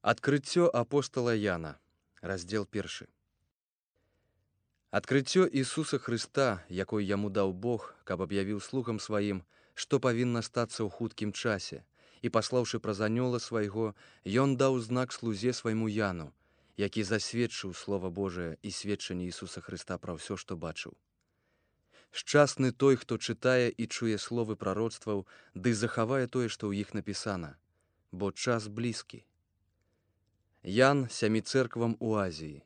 Адкрыццё апостала Яна, раздзел 1. Адкрыццё Ісуса Хрыста, якой яму даў Бог, каб аб'явіў слугам сваім, што павінна стацца ў хуткім часе, і паслаўшы праз анёла свайго, ён даў знак слузе свайму Яну, які засведчыў Слова Божае і сведчанне Ісуса Хрыста пра ўсё, што бачыў. Шчасны той, хто чытае і чуе словы прароцтваў, ды захавае тое, што ў іх напісана, бо час блізкі. Ян сямі цэрквам у Азіі.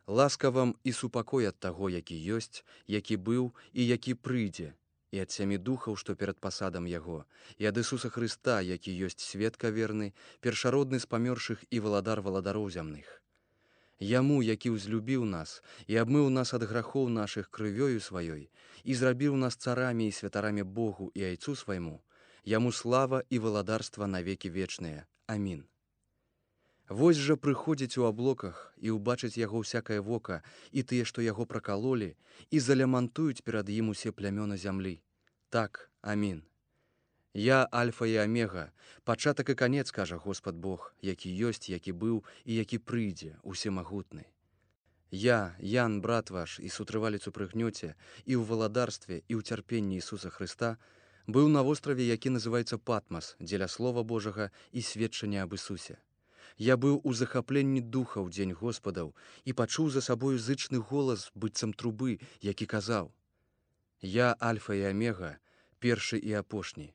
Ласка вам і супакой ад таго, які ёсць, які быў і які прыйдзе, і ад сямі духаў, што перад пасадам яго, і ад Ісуса Хрыста, які ёсць сведка верны, першародны з памёршых і валадар валадароў зямных. Яму, які ўзлюбіў нас і абмыў нас ад грахоў нашых крывёю сваёй, і зрабіў нас царамі і святарамі Богу і Айцу свайму, яму слава і валадарства навекі вечныя. Амін. Вось жа прыходзіць у аблоках і ўбачыць яго ўсякае вока, і тыя, што яго пракалолі, і залямантуюць перад ім усе плямёны зямлі. Так, амін. Я Альфа і Омега, пачатак і канец, кажа Господ Бог, які ёсць, які быў і які прыйдзе, усемагутны. Я, Ян, брат ваш, і сутрывалец у прыгнёце, і ў валадарстве, і ў цярпенні Ісуса Хрыста, быў на востраве, які называецца Патмас, дзеля Слова Божага і сведчання аб Ісусе. Я быў у захапленні духа ў дзень Господаў і пачуў за сабою зычны голас, быццам трубы, які казаў: «Я Альфа і Омега, першы і апошні.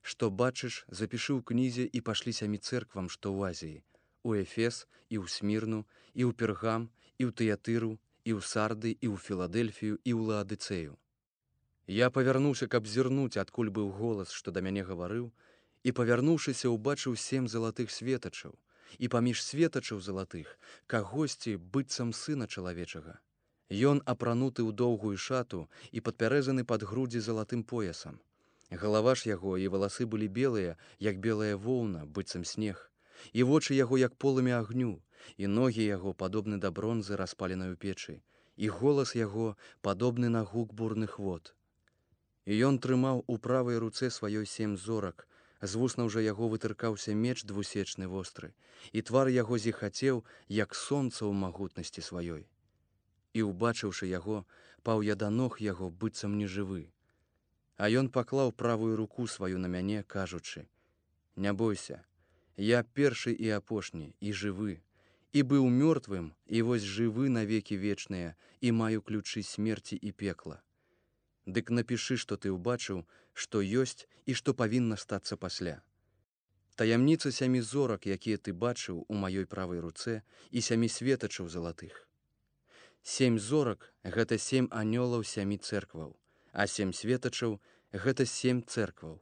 Што бачыш, запішы ў кнізе і пашлі сямі цэрквам, што ў Азіі, у Ефес, і ў Смірну, і ў Пергам, і ў Тыятыру, і ў Сарды, і ў Філадельфію, і ў Лаадыцэю». Я павярнуўся, каб зірнуць, адкуль быў голас, што да мяне гаварыў, і, павярнуўшыся, убачыў 7 залатых светачаў, і паміж светачаў залатых кагосьці быццам сына чалавечага. Ён апрануты ў доўгую шату і падпярэзаны пад грудзі залатым поясам. Галава ж яго і валасы былі белыя, як белая воўна, быццам снег, і вочы яго, як полымя агню, і ногі яго падобны да бронзы, распаленай у печы, і голас яго падобны на гук бурных вод. І ён трымаў у правай руцэ сваёй 7 зорак, з вуснаў жа яго вытыркаўся меч двусечны востры, і твар яго зіхацеў, як сонца ў магутнасці сваёй. І, убачыўшы яго, паў я да ног яго, быццам нежывы. А ён паклаў правую руку сваю на мяне, кажучы: «Не бойся, я першы і апошні, і жывы, і быў мёртвым, і вось жывы навекі вечныя, і маю ключы смерці і пекла. Дык напішы, што ты ўбачыў, што ёсць і што павінна стацца пасля. Таямніца 7 зорак, якія ты бачыў у маёй правай руцэ, і 7 светачаў залатых. 7 зорак — гэта 7 анёлаў 7 цэркваў, а 7 светачаў — гэта 7 цэркваў.